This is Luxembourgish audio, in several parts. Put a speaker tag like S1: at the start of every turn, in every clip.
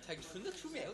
S1: Dat hänkt vun net vu mär.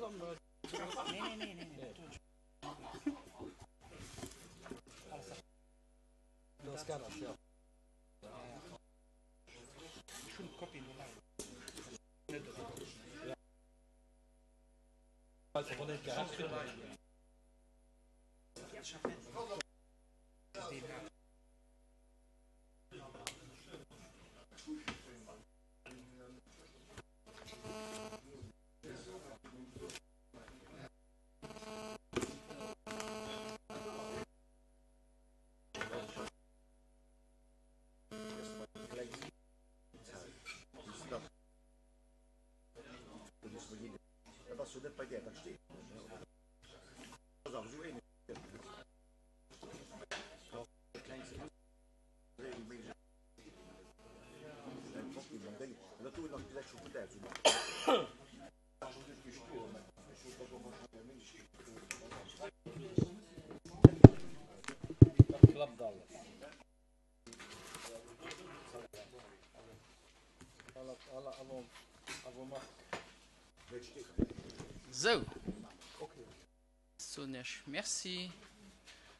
S1: Sou, soen Iech Merci,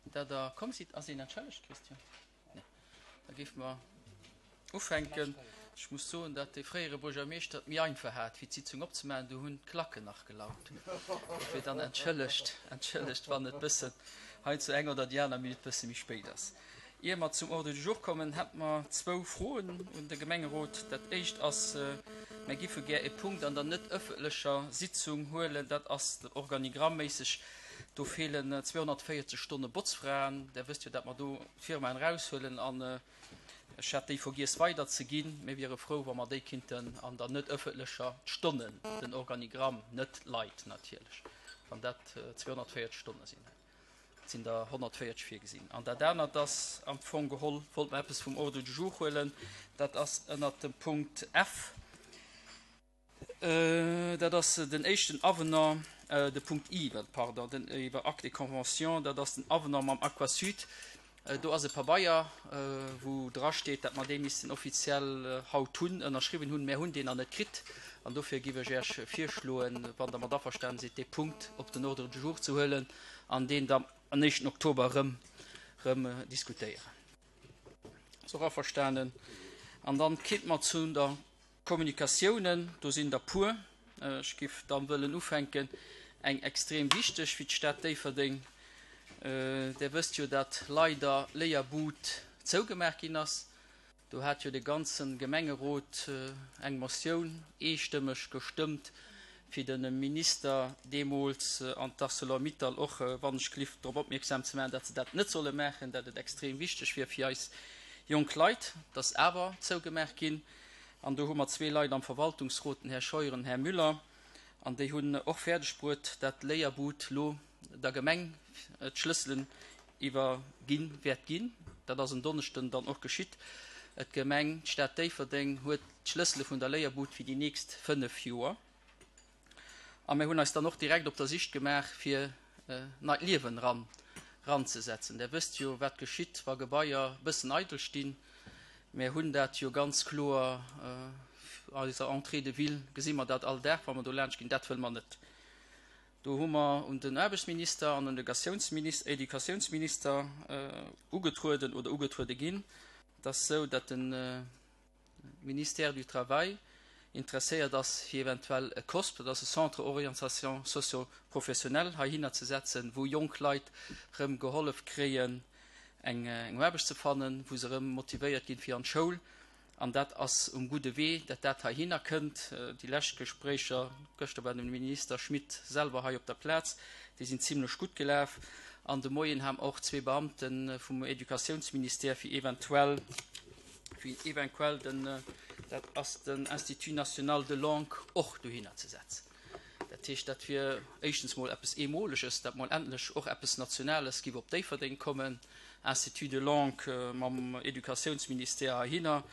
S1: dat Der komm sidd. Ass een entschëllegt, Christian? Nee. Da géife mer ufänken. Ech muss soen, datt dee fréiere Buergermeeschter et méi einfach hat, fir d'Sitzung opzemaachen. Do hunn d'Klacken nach gelaut. Dofir dann entschëllegt, entschëllegt, wann et bëssen heiansdo eng oder déi aner Minutt bësse méi spéit ass. Ier mer zum Ordre du jour kommen, hätt mer zwou Froen un de Gemengerot. Dat éischt ass, Mer giffe gär e Punkt an der net ëffentlecher Sitzung huelen. Dat ass organigramméisseg, do feelen 240 Stonne Botzfraen. Der wësst jo, dat mer do d'Firmaen eraushuelen an ech hat déi vergiess weiderzeginn. Mir wiere frou, wa mer déi kinnten an der net ëffentlecher, d'Stonnen, den Organigramm, net d'Leit natierlech, wann dat 240 Stonne sinn. Et sinn der 140 virgesinn. An dat anert ass am Fong geholl, wollt mer eppes vum Ordre du jour huelen, dat ass ënnert dem Punkt F, dat ass den éischten Avenant, de Punkt I, pardon, den iwwer Acte et convention, dat ass den Avenant mam Aquasud. Do ass e Pabeier, wou drasteet, datt mer dee missten offiziell haut hunn, ënnerschriwwen hunn. Mär hunn deen nach net kritt. An dofir giff ech Äech virschloen, wann Der mat averstanen sidd, dee Punkt op den Ordre du jour ze huelen an deen da an éischten Oktober erëm, erëm diskutéieren. Ass och averstanen. An dann kinnt mer zu der Kommunikatiounen, do sinn der puer. Ech giff dann wëllen ufänken, eng extrem wichteg fir d'Stad Déifferdeng. Der wësst jo, dat leider Léierbud zougemaach ginn ass. Do hat jo de ganze Gemengerot eng Motioun eestëmmeg gestëmmt, fir de Minister deemools an d'Arcelor-Mittal och wannechgelift drop opmierksam ze maachen, dat se dat net solle maachen, dat et extrem wichteg wier fir eis jonk Leit. Dat ass awer zougemaach ginn. An do hu mer zwee Leit am Verwaltungsrot, den Här Scheuer an den Här Müller, an déi hunn och fäerdeg bruet, dat Léierbud lo der Gemeng d'Schlësselen iwwergi wäert ginn. Dat ass en Donneschden dann och geschitt. D'Gemeng, d'Stad Déifferdeng huet d'Schlëssele vun der Léierbud fir déi nächst fënnef Joer. A mir hunn eis dann och direkt op der Sicht gemaach, fir neit Liewen eran eranzesetzen. Der wësst jo, wat geschitt, wa Gebaier e bëssen eidel stinn. Mir hunn dat jo ganz kloer, eiser Entrée de ville gesi mer dat all Dag, wa mer do laanscht ginn. Dat wëlle mer net. Do hu mer un den Aarbechtsminister an un de Educatiounsminister ugetrueden oder ugetruede ginn. Et ass esou, datt de Ministère du Travail interesséiert ass, fir eventuell e COSP, dat ass e Centre Orientation Socio-Professionnelle, heihinner ze setzen, wou jonk Leit erëm gehollef kréien, eng Aarbecht ze fannen, wou se erëm motivéiert ginn fir an d'Schoul. An dat ass um gudde Wee, dat dat heihinner kënnt. Déi lescht Gespréicher, gëschter war de Minister Schmit selwer hei op der Plaz, déi sinn zimlech gutt gelaf. An de Moien ha mer och zwee Beamte vum Educatiounsministère fir eventuell, fir evenquell den, dat ass den Institut national de langue, och dohinner ze setzen. Dat heescht, dat wier éischtens mol eppes Eemoleges, dat mol endlech och eppes Nationales giff op Déifferdeng kommen, Institut de langue mam Educatiounsministère heihinner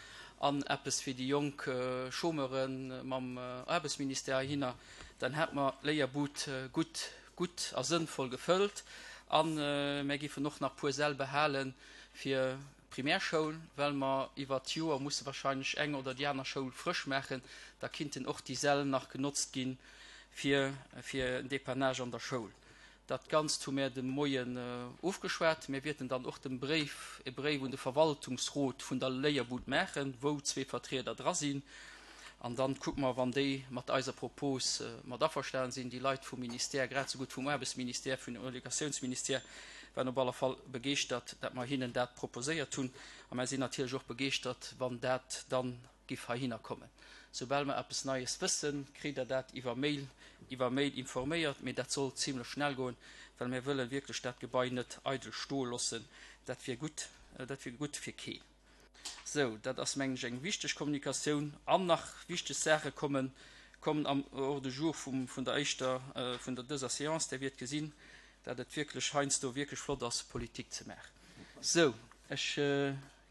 S1: an eppes fir déi jonk Chômeure mam Aarbechtsministère heihinner. Dann hätt mer d'Léierbud gutt, gutt a sënnvoll gefëllt a mär giffen och nach puer Säll behale fir Primärschoul, well mer iwwert d'Joer musse wahrscheinlech eng oder déi aner Schoul frësch maachen, da kinnten och déi Säll nach genotzt gi. fir fir en Dépannage an der Schoul. Dat Ganzt hu mär de Moien ofgeschwat. Mir wierten dann och de Bréif, e Bréif un de Verwaltungsrot vun der Léierbud maachen, wou zwee Vertrieder dra sinn. An dann kucke mer, wann déi mat eiser Propos mat averstanen sinn. Déi Leit vum Ministère, grad esou gutt vum Aarbechtsministère, vun dem Educatiounsministère, waren op alle Fall begeeschtert, dat mer hinnen dat proposéiert hunn. A mer sinn natierlech och begeeschtert, wann dat dann giff heihinner kommen. Soubal mer eppes Neies wëssen, kritt der dat iwwer Mail, iwwer Mail informéiert, mee dat soll zimlech schnell goen, well mir wëllen wierklech dat Gebai net eidel stoe loossen. Dat wier gutt, dat wier gutt fir keen. Sou, dat ass mengen ech eng wichteg Kommunikatioun. An nach wichteg Saache kommen, kommen am Ordre du jour vum, vun der éischter, vun der dëser Séance. Där wiert gesinn, dat et wierklech heiansdo wierklech flott ass, Politik ze maachen. Sou, ech.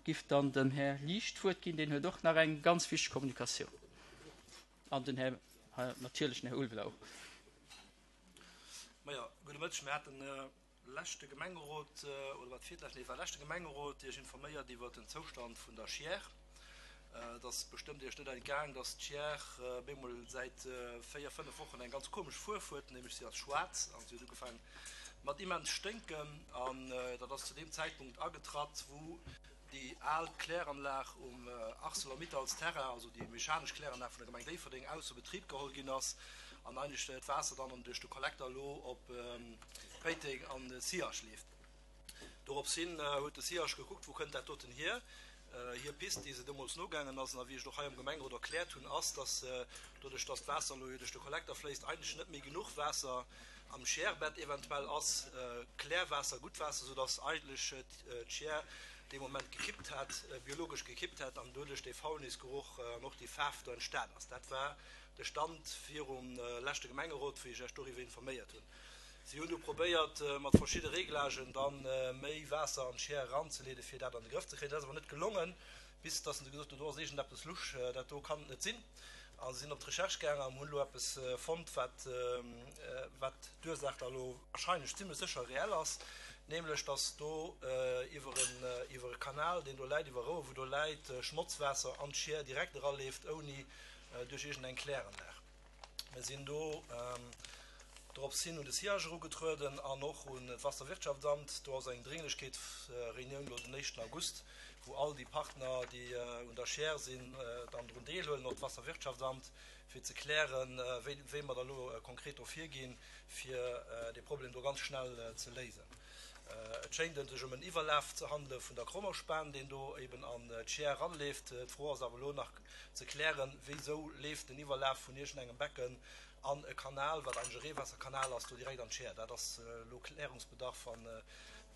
S1: Giff dann dem Här Liesch d'Wuert ginn, deen huet och nach eng ganz wichteg Kommunikatioun. An den Här, natierlech den Här Ulveler och.
S2: Majo, gudde Mëtteg. Mir haten leschte Gemengerot, oder war et virleschten, nee, et war leschte Gemengerot, Iech informéiert iwwert den Zoustand vun der Chiers. Et ass bestëmmt Iech net entgaang, dass d'Chiers bemol säit 4, 5 Wochen eng ganz komesch Fuerf huet, nämlech si ass schwaarz an si huet ugefaangen mat immens sténken an dat ass zu deem Zäitpunkt agetratt, wou déi al Kläranlag um Arcelor-Mittals Terrain, also déi mechanesch Kläranlag vun der Gemeng Déifferdeng, ausser Betrib geholl ginn ass an eigentlech d'Waasser dann duerch de Kollekter elo op Péiteng an de Siach leeft. Dorops hin huet de Siach gekuckt, wou kënnt dat doten hier. Hir Pist, déi se deemools nogaangen ass, an a wéi ech et och hei am Gemengerot erkläert hunn, ass, dass doduerch, dass d'Waasser elo jo duerch de Kollekter fléisst, eigentlech net méi genuch Waasser am Scherbett eventuell ass, Klärwaasser, gutt Waasser, soudass eigentlech d'Scher dee Moment gekippt hat, biologesch gekippt hat an doduerch dee Faulnisgeruch an och déi Faarf do entstan ass. Dat war de Stand virum leschte Gemengerot, wéi ech Iech doriwwer informéiert hunn. Si hunn du probéiert, mat verschidde Reglagen da méi Waasser an d'Scher eranzeleeden, fir dat an de Grëff ze kréien. Dat ass awer net gelongen, bis dass se gesot hunn, do ass iergendeppes lusch, dat do kann et net sinn. A se sinn op d'Recherche gaangen an hunn elo eppes fonnt, wat, wat d'Ursaach da elo wahrscheinlech zimlech sécher reell ass, nämlech dass do iwwer en, iwwer e Kanal, deen do läit, iwwer e Rouer, wou do läit, Schmotzwaasser an d'Schier direkt eraleeft, ouni duerch iergendeng Kläranlag. Mir sinn do dorops hin un de Siage erugetrueden an och un d'Wasserwirtschaftsamt. Do ass eng Dringlechkeetsreunioun elo den éischten August, wou all déi Partner, déi un der Share sinn, dann drun deelhuelen, och d'Wasserwirtschaftsamt, fir ze klären, wéi mer da elo konkret do virginn, fir dee Problem do ganz schnell ze léisen. Et schéint et sech ëm en Iwwerlaf ze handele vun der Krommerspan, deen do eben an d'Schier eranleeft. D'Fro ass awer elo nach ze klären, wéisou leeft den Iwwerlaf vun iergendengem Becken an e Kanal, wat eigentlech e Reewaasserkanal ass, do direkt an d'Schier. Dat ass elo Klärungsbedarf an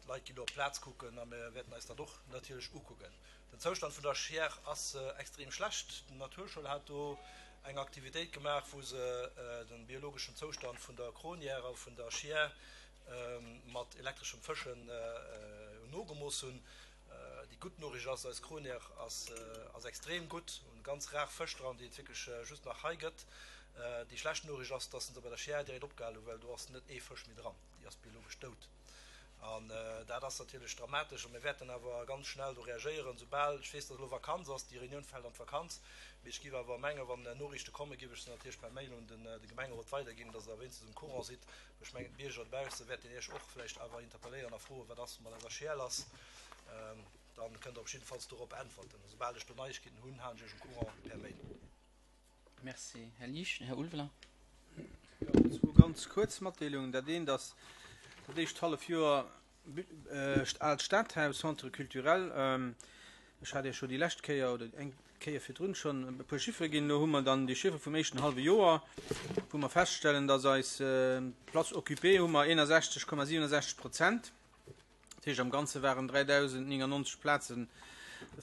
S2: d'Leit ginn do op d'Plaz kucken a mir wäerten eis dat och natierlech ukucken. Den Zoustand vun der Schier ass extrem schlecht. D'Naturschoul hat do eng Aktivitéit gemaach, wou se de biologeschen Zoustand vun der Kronière a vun der Schier mat elektreschem Fëschen nogemooss hunn. Déi gutt Noriicht ass, eis Kronière ass extrem gutt, hunn ganz rar Fësch dran, déi et wierklech just nach hei gëtt. Déi schlecht Noriicht ass, dass se bei der Schier direkt opgehal hunn, well do ass net ee Fësch méi dran, déi ass biologesch dout. An dat ass natierlech dramatesch a mir wäerten awer ganz schnell do reagéieren, soubal ech weess, dass elo Vakanz ass. Déi Reunioun fält an d'Vakanz, mee ech géif awer mengen, wann Noriichte kommen, géif ech se natierlech per Mail un de Gemengerot weiderginn, dass Der wéinstens um Courant sidd. Ech mengen, d'Bierger dobausse wäerten Iech och vläicht awer interpelléieren a froen, wat ass mat eiser Schäl lass. Da kënnt Der op jiddefalls dorop äntwerten. Esoubal ech do Neiegkeeten hunn, halen ech Iech um Courant per Mail.
S1: Merci, Här Liesch. Här Ulveler.
S3: Jo, zwou ganz kuerz Matdeelungen. Dat eent ass, dat éischt Hallefjoer Aalt Stadhaus, Centre culturel. Ech hat Iech jo déi lescht Kéier oder eng Kéier virdrun schonn e puer Chiffere ginn. Elo hu mer dann déi Chiffere vum éischten hallwe Joer, wou mer feststellen, dass eis Places occupées hu mer 61,67 Prozent. Dat heescht, am Ganze waren 3.099 Plaze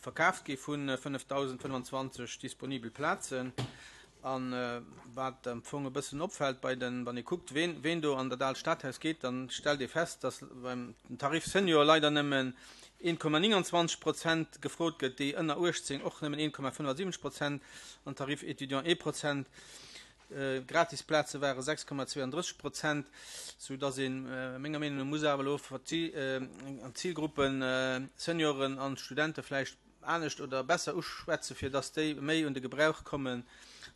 S3: verkaaft gi vu 5.025 disponibel Plazen. A wat am Fong e bëssen opfält bei den, wann ee kuckt, ween, ween do an dat aalt Stadhaus geet, dann stellt ee fest, dass beim Tarif Senior leider nëmmen 1,29 Prozent gefrot gëtt, déi ënner 18 och nëmmen 1,75 Prozent an Tarif Étudiant ee Prozent. Gratis Plaze ware 6,32 Prozent, sou dass ee menger Meenung no muss awer elo an d'Zilgruppen Senioren an Studente vläicht anescht oder besser uschwätzen, fir dass déi méi un de Gebrauch kommen.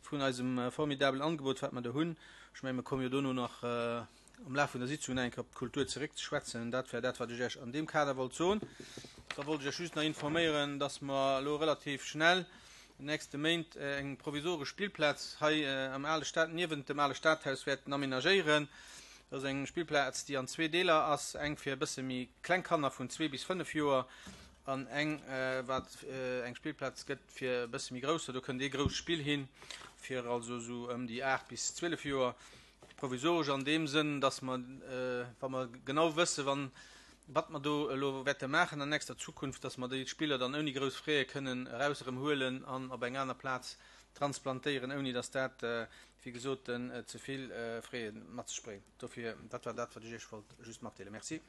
S3: vun eisem formidabelen Angebot, wat mer do hunn. Ech mengen, mer komme jo dono nach am Laf vun der Sitzung nach eng Kéier op d'Kultur zeréckzeschwätzen. Dat wär dat, wat ech Iech an deem Kader wollt soen. Da wollt ech Iech just nach informéieren, dass mer elo relativ schnell an den nächste Méint eng provisoresch Spillplaz hei am ale Stad, niewent dem ale Stadhaus wäerten aménagéieren. Dat ass eng Spillplaz, déi an zwee Deeler ass, eng fir e bësse méi kleng Kanner vun zwee bis fënnef Joer an eng, wat eng Spillplaz gëtt fir e bësse méi Grousser. Do kënnt ee grousst Spill hin, fir also esou ëm déi 8 bis 12 Joer. Provisoresch an deem Sënn, dass mer, wa mer genau wëssen, wann, wat mer do elo wäerte maachen an nächster Zukunft, dass mer déi Spiller dann ouni grouss Fräe kënnen eraus erëm huelen an op eng aner Plaz transplantéieren, ouni dass dat, wéi gesot, ze vill Fräe mat sech bréngt. Dofir, dat war dat, wat ech Iech wollt just matdeelen. Merci.